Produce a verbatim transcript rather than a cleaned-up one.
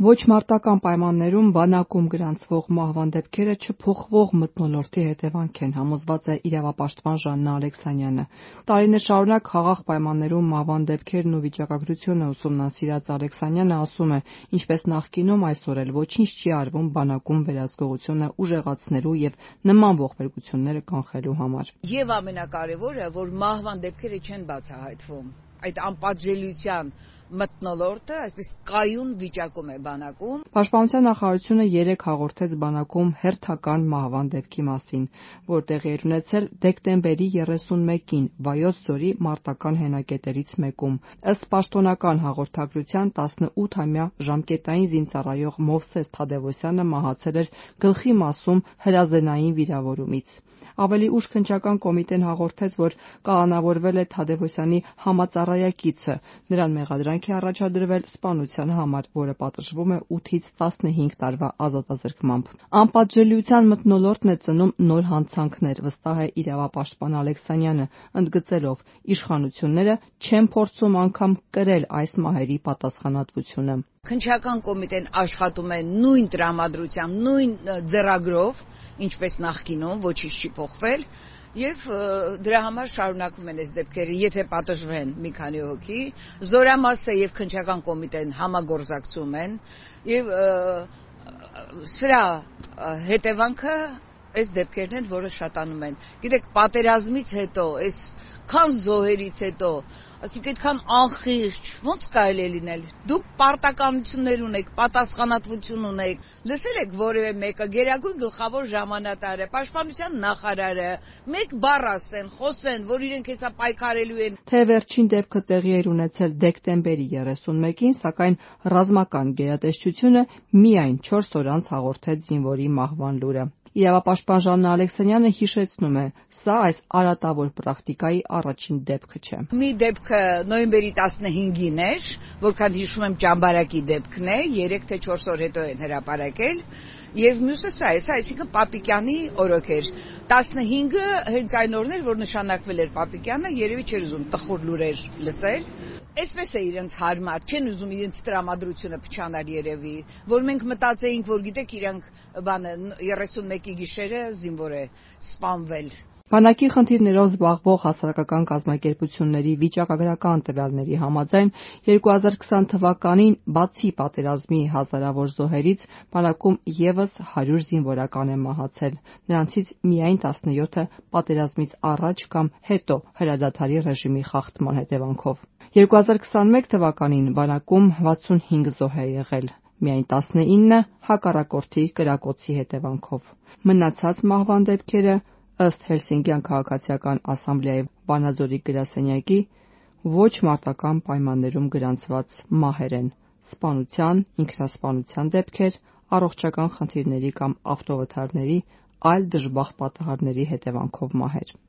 Ոչ մարտական պայմաններում բանակում գրանցվող մահվան դեպքերը չփոխվող մթնոլորտի հետևանք են, համոզված է իրավապաշտպան Ժաննա Ալեքսանյանը։ Տարիներ շարունակ խաղաղ պայմաններում մահվան դեպքերն ու վիճակագրությունը ուսումնասիրած Ալեքսանյանը ասում է, ինչպես նախկինում, այսօր էլ ոչինչ չի արվում բանակում վերահսկողությունը ուժեղացնելու եւ նման ողբերգությունները կանխելու համար։ Եվ ամենակարևորը, որ մահվան դեպքերը չեն բացահայտվում։ Այդ անպատժելիության մթնոլորտը այսպես կայուն վիճակում է բանակում։ Պաշտպանության նախարարությունը երեկ հաղորդեց բանակում հերթական մահվան դեպքի մասին, որ տեղի էր ունեցել դեկտեմբերի երեսունմեկին Վայոց ձորի մարտական հենակետերից մեկում։ Ըստ պաշտոնական հաղորդագրության տասնութամյա ժամկետային զինծառայող Մովսես Թադևոսյանը մահացել էր գլխի մասում հրազենային վիրավորումից։ Ավելի ուշ քննչական կոմիտեն հաղորդեց, որ կալանավորվել է Թադևոսյանի համածառայակիցը, նրան մեղադրանք է առաջադրվել սպանության համար, որը պատժվում է ութից տասնհինգ տարվա ազատազրկմամբ։ Անպատժելիության մթնոլորտն է ծնում նոր հանցանքներ, վստահ է իրավապաշտպան Ալեքսանյանը, ընդգծելով՝ իշխանությունները չեն փորձում անգամ կրել այս մահերի պատասխանատվությունը։ Քննչական կոմիտեն աշխատում է նույն տրամադրությամբ, նույն ձեռագրով, ինչպես նախկինում, ոչինչ չի փոխվել, եւ դրա համար շարունակվում են այս դեպքերը, եթե պատժվեն մի քանի հոգի, զորամասը եւ քննչական կոմիտեն համագործակցում են եւ սրա հետևանքը այս դեպքերն են, որը շատանում են։ Գիտեք, պատերազմից հետո, այս քան զոհերից հետո, ասիկ այդքան անխիղճ, ո՞նց կարելի է լինել։ Դուք պարտականություններ ունեք, պատասխանատվություն ունեք։ Լսել եք որևէ մեկը գերագույն գլխավոր հրամանատարը, պաշտպանության նախարարը մեկ բառ ասեն, խոսեն, որ իրենք հեսա պայքարելու են։ Թե վերջին դեպքը տեղի էր ունեցել դեկտեմբերի երեսունմեկին, սակայն ռազմական գերատեսչությունը միայն չորս օր անց հաղորդեց զինվորի մահվան լուրը։ Իրավապաշտպան Ժաննա Ալեքսանյանը հիշեցնում է, սա այս արատավոր պրակտիկայի առաջին դեպքը չէ։ Մի դեպքը նոյեմբերի տասնհինգին էր, որքան հիշում եմ ճամբարակի դեպքն է, երեք թե չորս օր հետո են հրապարակել, եւ մյուսը սա է, սա այսինքն Պապիկյանի օրոք էր։ տասնհինգը հենց այն օրն էր, որ նշանակվել էր Պապիկյանը, երևի չէր ուզում տխուր լուրեր լսել։ Այսպես է իրենց հարմար, չեն ուզում իրենց տրամադրությունը փչանալ երևի, որ մենք մտածեինք, որ գիտեք, իրանք բանը երեսունմեկի գիշերը զինվոր է սպանվել։ Բանակի խնդիրներով զբաղվող հասարակական կազմակերպությունների վիճակագրական տվյալների համաձայն երկու հազար քսան թվականին բացի պատերազմի հազարավոր զոհերից բանակում ևս հարյուր զինվորական է մահացել, նրանցից միայն տասնյոթը պատերազմից առաջ կամ հետո հրադադարի ռեժիմի խախտման հետևանքով։ երկու հազար քսանմեկ թվականին բանակում վաթսունհինգ զոհ է եղել, միայն տասնինը հակառակորդի կրակոցի հետևանքով։ Մնացած մահվան դեպքերը ըստ Հելսինկյան քաղաքացիական ասամբլեայի Վանաձորի գրասենյակի ոչ մարտական պայմաններում գրանցված մահեր են՝ սպանության, ինքնասպանության դեպքեր, առողջական խնդիրների կամ ավտովթարների, այլ դժբախտ պատահարների հետևանքով մահեր։